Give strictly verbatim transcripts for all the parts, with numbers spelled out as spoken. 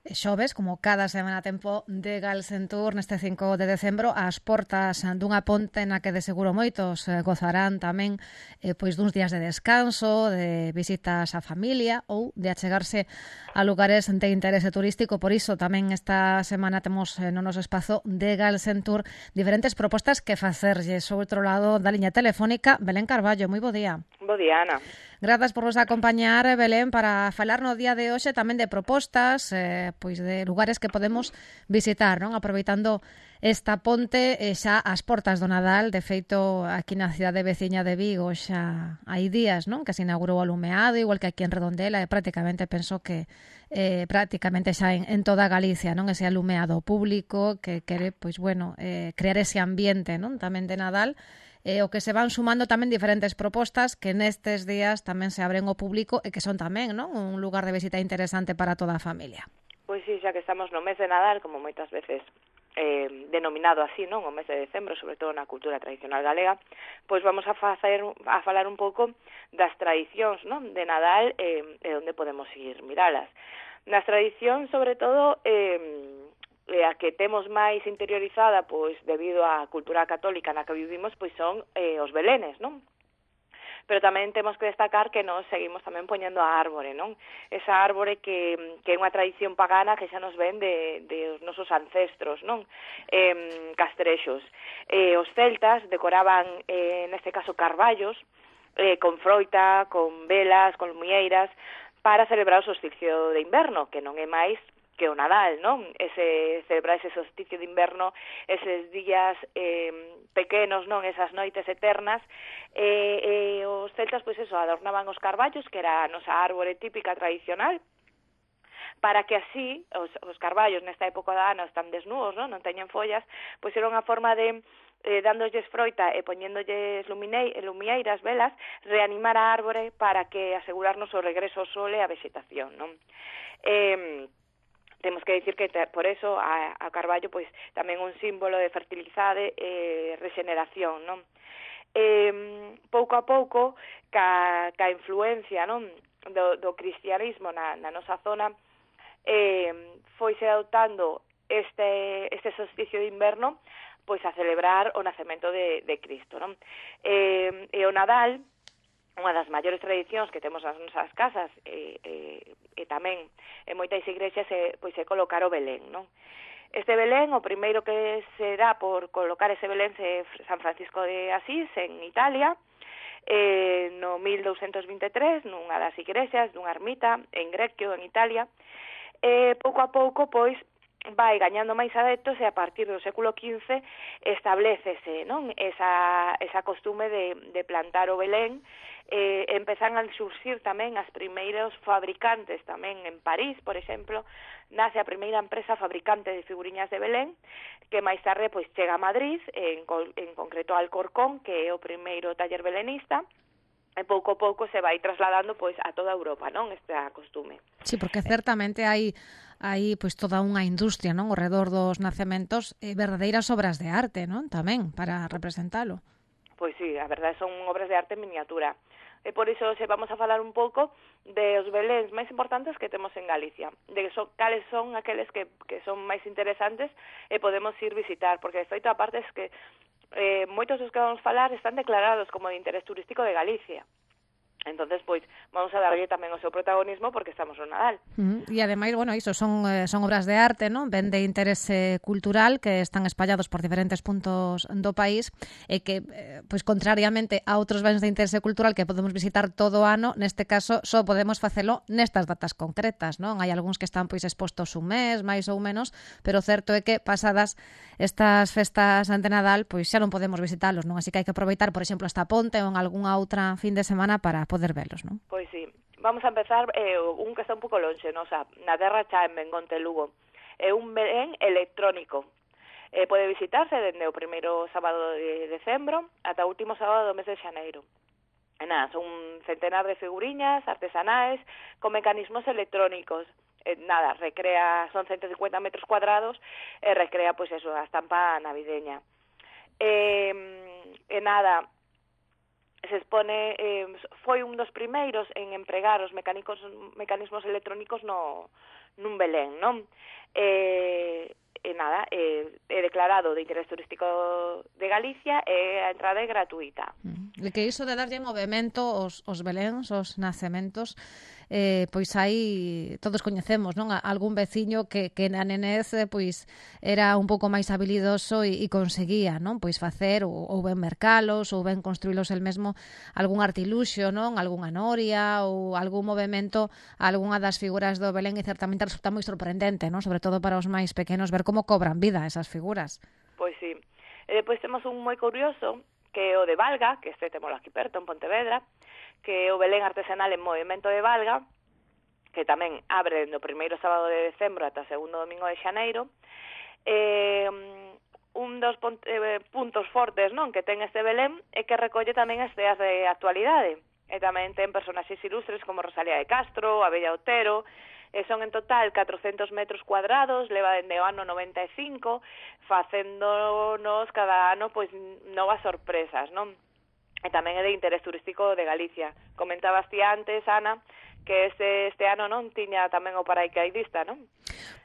E xoves, como cada semana tempo de Galsentur neste cinco de decembro, ás portas dunha ponte na que de seguro moitos eh, gozarán tamén eh, pois duns días de descanso, de visitas á familia ou de achegarse a lugares de interese turístico. Por iso tamén esta semana temos eh, no noso espazo de Galsentur diferentes propostas que facerlles. Ao outro lado da liña telefónica, Belén Carballo. Moi bo día. Bo día, Ana. Grazas por vos acompañar, Belén, para falar no día de hoxe tamén de propostas, eh, pois de lugares que podemos visitar, non? Aproveitando esta ponte eh, xa ás portas do Nadal. De feito, aquí na cidade veciña de Vigo xa hai días, non? Que se inaugurou o alumeado, igual que aquí en Redondela, e prácticamente penso que eh, prácticamente xa en, en toda Galicia, non? Ese alumeado público que quere, pois bueno, eh, crear ese ambiente, non? Tamén de Nadal. Eh, o que se van sumando tamén diferentes propostas que nestes días tamén se abren ao público e que son tamén, non, un lugar de visita interesante para toda a familia. Pois sí, xa que estamos no mes de Nadal, como moitas veces eh, denominado así, non, o mes de decembro, sobre todo na cultura tradicional galega, pois vamos a facer a falar un pouco das tradicións, non, de Nadal eh, e onde podemos ir miralas. Nas tradicións, sobre todo, eh, e a que temos máis interiorizada, pois debido á cultura católica na que vivimos, pois son eh, os belenes, non? Pero tamén temos que destacar que nós seguimos tamén poñendo a árbore, non? Esa árbore que, que é unha tradición pagana que xa nos ven de, de os nosos ancestros, non? Eh, castrexos. Eh, os celtas decoraban, eh, neste caso, carballos, eh, con froita, con velas, con lumieiras, para celebrar o solsticio de inverno, que non é máis que o Nadal, non? Ese celebrar ese solsticio de inverno, eses días eh, pequenos, non? Esas noites eternas, e eh, eh, os celtas, pois eso, adornaban os carballos, que era a nosa árbore típica tradicional, para que así, os, os carballos nesta época da ano están desnudos, non? Non teñen follas, pois era unha forma de eh, dándolles froita e poñéndolles lumieiras, velas, reanimar a árbore para que asegurarnos o regreso ao sol e a vegetación, non? Eh, Temos que dicir que por eso a, a carballo pois tamén un símbolo de fertilidade e regeneración, non? Eh, pouco a pouco, ca, ca influencia, non, do, do cristianismo na, na nosa zona, eh, foise adoptando este, este solsticio de inverno pois a celebrar o nacemento de, de Cristo, non? Eh, e o Nadal, unha das maiores tradicións que temos nas nosas casas e, e, e tamén en moitas igrexas é, pois, é colocar o Belén, non? Este Belén, o primeiro que será por colocar ese Belén é San Francisco de Asís, en Italia, eh, no mil douscentos vinte e tres, nunha das igrexas, dunha ermita, en Greccio, en Italia. E pouco a pouco, pois, vai gañando máis adeptos e a partir do século quince establecese, non? Esa, esa costume de, de plantar o Belén. Eh, empezan a surxir tamén as primeiros fabricantes tamén en París, por exemplo, nace a primeira empresa fabricante de figuriñas de Belén, que máis tarde pois chega a Madrid, en, en concreto a Alcorcón, que é o primeiro taller belenista, e pouco a pouco se vai trasladando pois a toda Europa, non, esta costume. Sí, porque certamente hai hai pois toda unha industria, non, ao redor dos nacementos, e verdadeiras obras de arte, non, tamén para representalo. Pois sí, a verdade son obras de arte en miniatura. E por iso se vamos a falar un pouco de os beléns máis importantes que temos en Galicia, de so, cales son aqueles que, que son máis interesantes e podemos ir visitar, porque de feito a parte es que eh, moitos dos que vamos falar están declarados como de interés turístico de Galicia. Entonces, pois, vamos a darlle tamén o seu protagonismo porque estamos no Nadal. Uh -huh. E ademais, bueno, iso son, eh, son obras de arte, non? Ben de interese cultural que están espallados por diferentes puntos do país e que, eh, pois, contrariamente a outros bens de interese cultural que podemos visitar todo o ano, neste caso só podemos facelo nestas datas concretas, non? Hai algúns que están, pois, expostos un mes, máis ou menos, pero certo é que pasadas estas festas ante Nadal, pois xa non podemos visitalos, non? Así que hai que aproveitar, por exemplo, esta ponte ou en algunha outra fin de semana para poder velos, non? Pois sí. Vamos a empezar eh, un que está un pouco lonxe, non? O sea, na Terra Cha, en Bengonte, Lugo. É un Belén electrónico. Eh, pode visitarse dende o primeiro sábado de decembro ata o último sábado do mes de xaneiro. E nada, son un centenar de figuriñas artesanais con mecanismos electrónicos. Eh, nada, recrea, son ciento cincuenta metros cuadrados e recrea, pois eso, a estampa navideña. Eh, e nada, se expone, eh, foi un dos primeiros en empregar os mecánicos, mecanismos electrónicos no, nun Belén, non? Eh, e nada, eh, é declarado de interés turístico de Galicia e a entrada é gratuita. E que iso de darlle movimento aos, aos beléns, aos nacementos, eh, pois aí todos coñecemos, non? Algún veciño que, que na nenez eh, pois era un pouco máis habilidoso e, e conseguía, non? Pois facer ou, ou ben mercalos ou ben construílos el mesmo algún artiluxo, non? Algunha noria ou algún movimento a algunha das figuras do Belén e certamente resulta moi sorprendente, non? Sobre todo para os máis pequenos ver como cobran vida esas figuras. Pois sí. E depois temos un moi curioso que é o de Valga, que este temos aquí perto, en Pontevedra, que é o Belén artesanal en movimento de Valga, que tamén abre no primeiro sábado de decembro ata o segundo domingo de xaneiro. Eh, un dos puntos fortes, non, que ten este Belén é que recolle tamén as ideas de actualidade. E tamén ten personaxes ilustres como Rosalía de Castro, Abella Otero, e son en total catrocentos metros cuadrados, leva dende o ano noventa e cinco, facéndonos cada ano pois novas sorpresas, non? E tamén é de interés turístico de Galicia. Comentabas ti antes, Ana, que este, este ano non tiña tamén o paracaidista, non?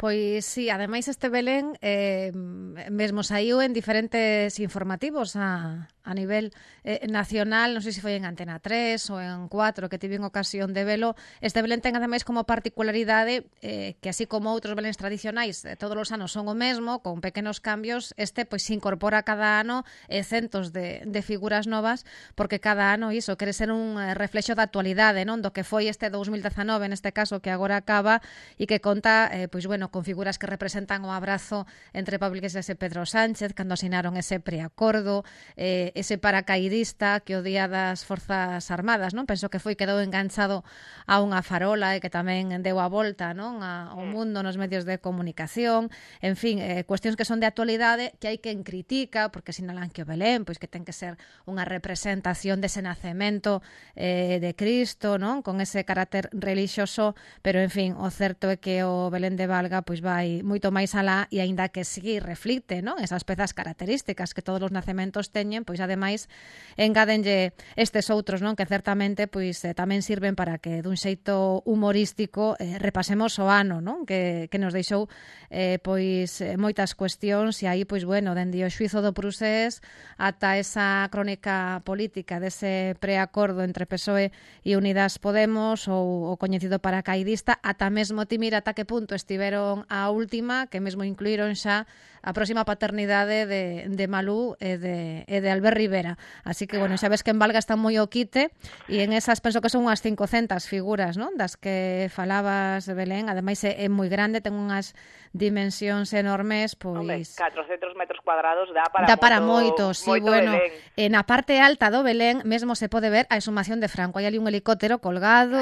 Pois sí, ademais este Belén eh, mesmo saiu en diferentes informativos a, a nivel eh, nacional, non sei se foi en Antena tres ou en cuatro, que tiven ocasión de velo. Este Belén ten ademais como particularidade eh, que así como outros Beléns tradicionais eh, todos os anos son o mesmo, con pequenos cambios, este pois se incorpora cada ano eh, centos de, de figuras novas, porque cada ano iso quere ser un eh, reflexo da actualidade, non? Do que foi este dous mil dezanove, neste caso, que agora acaba, e que conta, eh, pois bueno, con figuras que representan o abrazo entre Pablo Iglesias e Pedro Sánchez cando asinaron ese preacordo, eh, ese paracaidista que o día das Forzas Armadas, non? Penso que foi quedou enganchado a unha farola e que tamén deu a volta, non? A, ao mundo nos medios de comunicación, en fin, eh, cuestións que son de actualidade que hai quen critica porque sinalan que o Belén, pois que ten que ser unha representación dese nacemento eh, de Cristo, non? Con ese carácter relixioso, pero en fin, o certo é que o Belén de Valga pois vai moito máis alá e aínda que si reflicte, non? Esas pezas características que todos os nacementos teñen, pois ademais engádenlle estes outros, non? Que certamente pois eh, tamén sirven para que dun xeito humorístico eh, repasemos o ano, non? Que, que nos deixou eh, pois eh, moitas cuestións e aí pois bueno, dende o xuizo do Prusés ata esa crónica política dese preacordo entre P S O E e Unidas Podemos ou o coñecido paracaidista, ata mesmo ti mira ata que punto estiveron a última, que mesmo incluíron xa a próxima paternidade de, de Malú e de, e de Albert Rivera. Así que, bueno, xa ves que en Valga está moi o quite e en esas penso que son unhas cincocentas figuras, non? Das que falabas, Belén. Ademais é, é moi grande, ten unhas dimensións enormes, pois... Hombre, catrocentos metros cuadrados dá para dá moito, para moito, sí, moito bueno. Belén. En a parte alta do Belén mesmo se pode ver a exhumación de Franco. Hai ali un helicóptero colgado,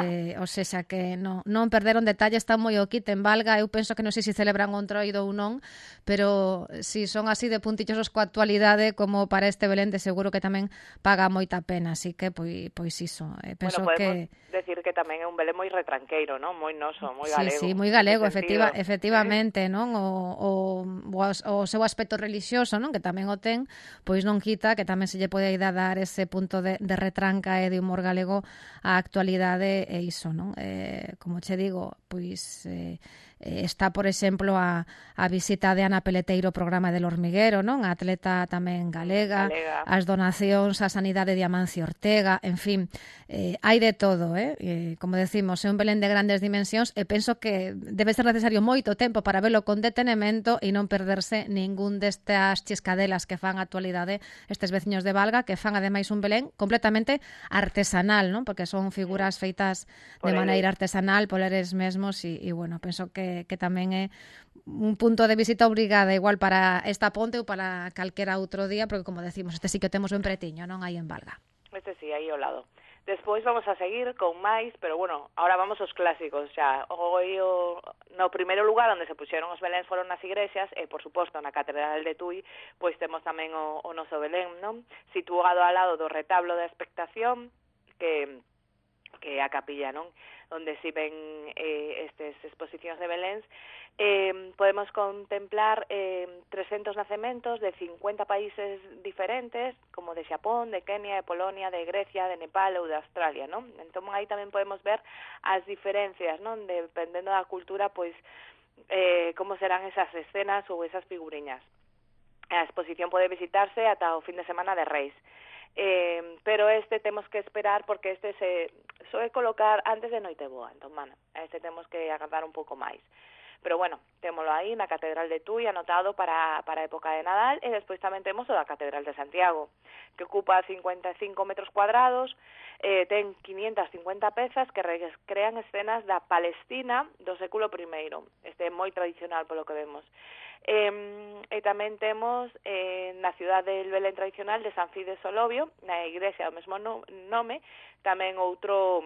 eh, ou seja, que non, non perderon detalle, está moi o quite en Valga. Eu penso que non sei se celebran un troido ou non, pero si son así de puntillosos coa actualidade como para este Belén, de seguro que tamén paga moita pena, así que pois, pois iso, eh, penso bueno, podemos que decir que tamén é un Belén moi retranqueiro, non? Moi noso, moi sí, galego. Sí, moi galego, efectiva, sentido. efectivamente, non? O, o, o seu aspecto relixioso, non? Que tamén o ten, pois non quita que tamén se lle pode ir a dar ese punto de, de retranca e de humor galego á actualidade e iso, non? Eh, como che digo, pois eh, está, por exemplo, a, a visita de Ana Peleteiro ao programa del Hormiguero, non? A atleta tamén galega, galega. As donacións á sanidade de Amancio Ortega, en fin, eh, hai de todo, eh? eh? Como decimos, é un Belén de grandes dimensións e penso que debe ser necesario moito tempo para velo con detenimento e non perderse ningún destas chiscadelas que fan a actualidade estes veciños de Valga, que fan ademais un Belén completamente artesanal, non? Porque son figuras feitas de maneira artesanal por eles mesmos e, e bueno, penso que que tamén é un punto de visita obrigada igual para esta ponte ou para calquera outro día, porque como decimos, este sí que temos ben pretiño, non? Aí en Valga. Este sí, aí ao lado. Despois vamos a seguir con máis, pero bueno, ahora vamos aos clásicos xa. Hoy o, no primeiro lugar onde se puxeron os Beléns foron nas igrexas e, por suposto, na Catedral de Tui, pois temos tamén o, o noso Belén, non? Situado ao lado do retablo da expectación, que que é a capilla, non? Onde si ven eh, estes exposicións de Beléns, Eh, podemos contemplar eh, trescentos nacementos de cincuenta países diferentes, como de Xapón, de Kenia, de Polonia, de Grecia, de Nepal ou de Australia, non? Entón, aí tamén podemos ver as diferencias, non? Dependendo da cultura, pois, eh, como serán esas escenas ou esas figuriñas. A exposición pode visitarse ata o fin de semana de Reis. Eh, pero este temos que esperar porque este se soe colocar antes de Noiteboa, entón, bueno, este temos que agardar un pouco máis. Pero bueno, témolo aí na Catedral de Tui anotado para, para a época de Nadal, e despois tamén temos o da Catedral de Santiago, que ocupa cincuenta e cinco metros cuadrados, eh, ten quinientas cincuenta pezas que recrean escenas da Palestina do século primeiro. Este é moi tradicional polo que vemos. Eh, e tamén temos eh, na cidade del Belén tradicional de San Fides Solobio, na igrexa do mesmo no, nome, tamén outro...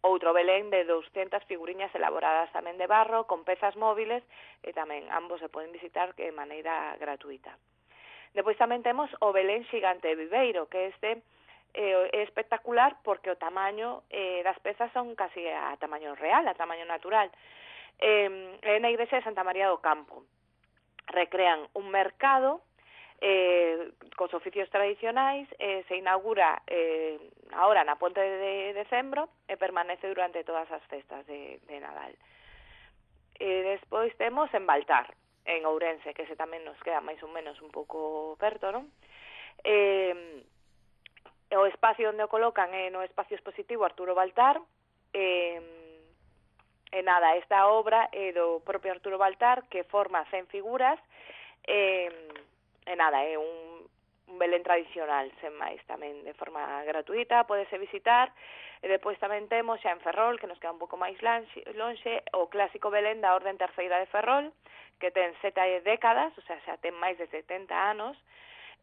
outro Belén de doscientas figuriñas elaboradas tamén de barro, con pezas móviles, e tamén ambos se poden visitar de maneira gratuita. Depois tamén temos o Belén xigante de Viveiro, que este eh, é espectacular porque o tamaño eh, das pezas son casi a tamaño real, a tamaño natural. Eh, é na igrexa de Santa María do Campo. Recrean un mercado eh, cos oficios tradicionais, eh, se inaugura eh, ahora na Ponte de Decembro e permanece durante todas as festas de, de Nadal. E despois temos en Baltar, en Ourense, que se tamén nos queda máis ou menos un pouco perto, non? Eh, o espacio onde o colocan é no espacio expositivo Arturo Baltar, eh, e nada, esta obra é do propio Arturo Baltar, que forma cen figuras, e eh, E nada, é un, un Belén tradicional, sen máis, tamén de forma gratuita, podese visitar, e depois tamén temos xa en Ferrol, que nos queda un pouco máis lonxe, lonxe o clásico Belén da Orden Terceira de Ferrol, que ten sete décadas, o sea, xa ten máis de setenta anos,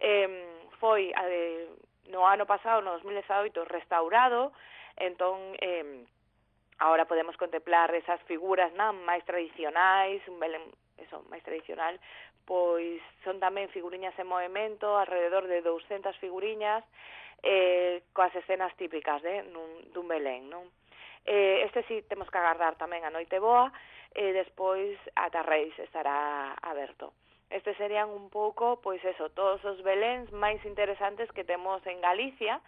eh, foi eh, no ano pasado, no dos mil dezaoito, restaurado, entón, eh, agora podemos contemplar esas figuras non máis tradicionais, un Belén, eso, máis tradicional, pois son tamén figuriñas en movimento, alrededor de doscientas figuriñas, eh, coas escenas típicas de, nun, dun Belén, non? Eh, este sí temos que agardar tamén a Noiteboa, e despois ata Reis estará aberto. Estes serían un pouco, pois eso, todos os Beléns máis interesantes que temos en Galicia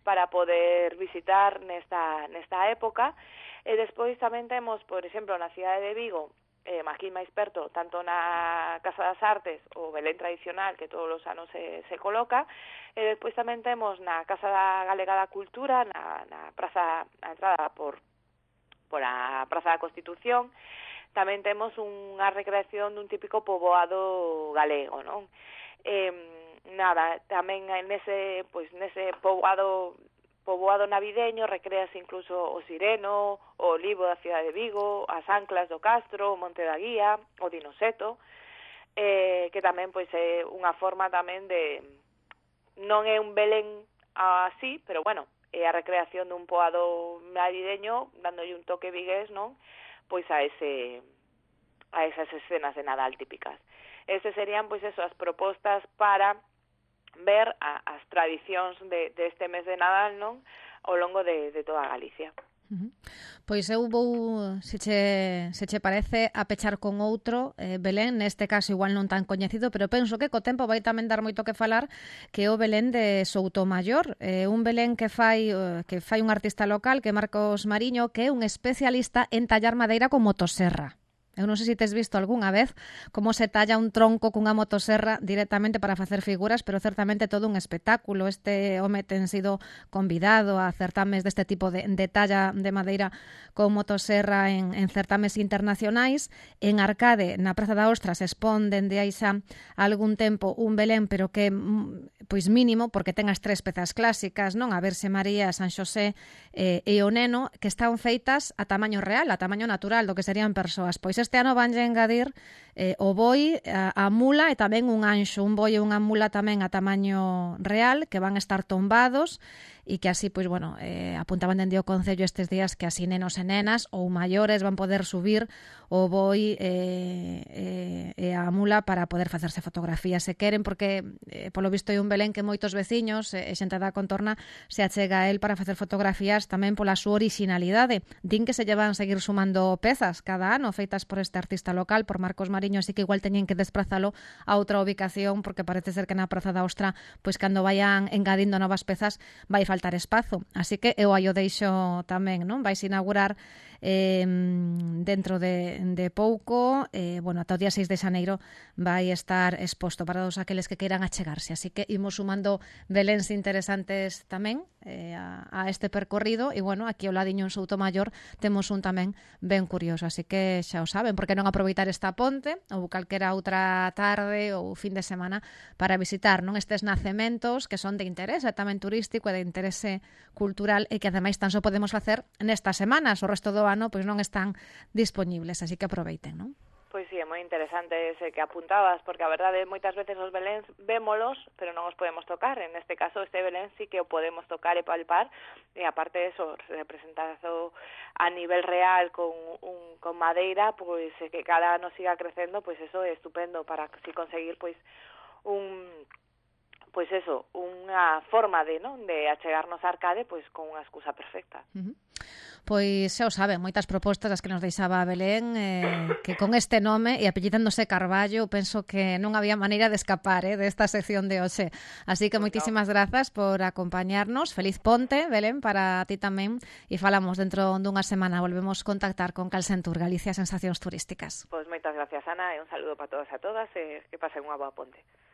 para poder visitar nesta, nesta época, e despois tamén temos, por exemplo, na cidade de Vigo, eh, aquí máis perto, tanto na Casa das Artes, o Belén tradicional, que todos os anos se, se coloca, e despois tamén temos na Casa da Galega da Cultura, na, na praza, a entrada por, por a Praza da Constitución, tamén temos unha recreación dun típico poboado galego, non? Eh, nada, tamén nese, pois, nese poboado poboado navideño recrease incluso o Sireno, o Olivo da cidade de Vigo, as Anclas do Castro, o Monte da Guía, o Dinoseto, eh, que tamén pois é unha forma tamén de, non é un Belén así, pero bueno, é a recreación dun poboado navideño, dándolle un toque vigués, non? Pois a ese a esas escenas de Nadal típicas. Esas serían pois eso, as propostas para ver a, as tradicións de, de este mes de Nadal, non? Ao longo de, de toda Galicia. Uh-huh. Pois eu vou, se che, se che parece, a pechar con outro eh, Belén, neste caso igual non tan coñecido, pero penso que co tempo vai tamén dar moito que falar, que é o Belén de Soutomaior, eh, un Belén que fai que fai un artista local, que é Marcos Mariño, que é un especialista en tallar madeira con motosserra. Eu non sei se tes visto algunha vez como se talla un tronco cunha motosserra directamente para facer figuras, pero certamente todo un espectáculo. Este home ten sido convidado a certames deste tipo de, de talla de madeira con motosserra en, en certames internacionais. En Arcade, na Praza da Ostra, se expón dende hai xa algún tempo un Belén, pero que pois mínimo, porque ten as tres pezas clásicas, non? A Verxe María, San Xosé eh, e o Neno, que están feitas a tamaño real, a tamaño natural do que serían persoas. Pois este ano vanlle engadir eh, o boi, a, a mula e tamén un anxo, un boi e unha mula tamén a tamaño real, que van estar tombados e que así, pois, bueno, eh, apuntaban dende o Concello estes días que así nenos e nenas ou maiores van poder subir o boi eh, eh, e a mula para poder facerse fotografías se queren, porque eh, polo visto hai un Belén que moitos veciños e eh, xente da contorna se achega a el para facer fotografías tamén pola súa orixinalidade. Din que se llevan seguir sumando pezas cada ano feitas por este artista local, por Marcos Mariño, así que igual teñen que desplazalo a outra ubicación porque parece ser que na Praza da Ostra, pois cando vayan engadindo novas pezas vai faltar espazo. Así que eu aí o deixo tamén, non? Vais inaugurar eh, dentro de, de pouco, eh, bueno, ata o día seis de xaneiro vai estar exposto para todos aqueles que queiran achegarse. Así que imos sumando beléns interesantes tamén eh, a, a este percorrido e, bueno, aquí ao ladiño en Soutomaior temos un tamén ben curioso, así que xa o saben, porque non aproveitar esta ponte ou calquera outra tarde ou fin de semana para visitar, non, estes nacementos que son de interese tamén turístico e de interese cultural e que ademais tan só podemos facer nestas semanas, o resto do ano pois non están dispoñibles, así que aproveiten, non? Pois sí, é moi interesante ese que apuntabas, porque a verdade moitas veces os beléns vémolos, pero non os podemos tocar. En este caso, este belén sí que o podemos tocar e palpar, e aparte de eso, representado a nivel real con un con madeira, pois que cada ano siga crecendo, pois eso é estupendo para así conseguir pois un pois eso, unha forma de, non, de achegarnos a Arcade pois con unha excusa perfecta. Uh-huh. Pois xa o saben, moitas propostas as que nos deixaba Belén, eh, que con este nome e apellidándose Carballo penso que non había maneira de escapar eh, desta sección de hoxe. Así que moitísimas grazas por acompañarnos. Feliz ponte, Belén, para ti tamén, e falamos dentro dunha semana. Volvemos contactar con Calcentur, Galicia Sensacións Turísticas. Pois moitas gracias, Ana, e un saludo para todos e a todas, e que pasen unha boa ponte.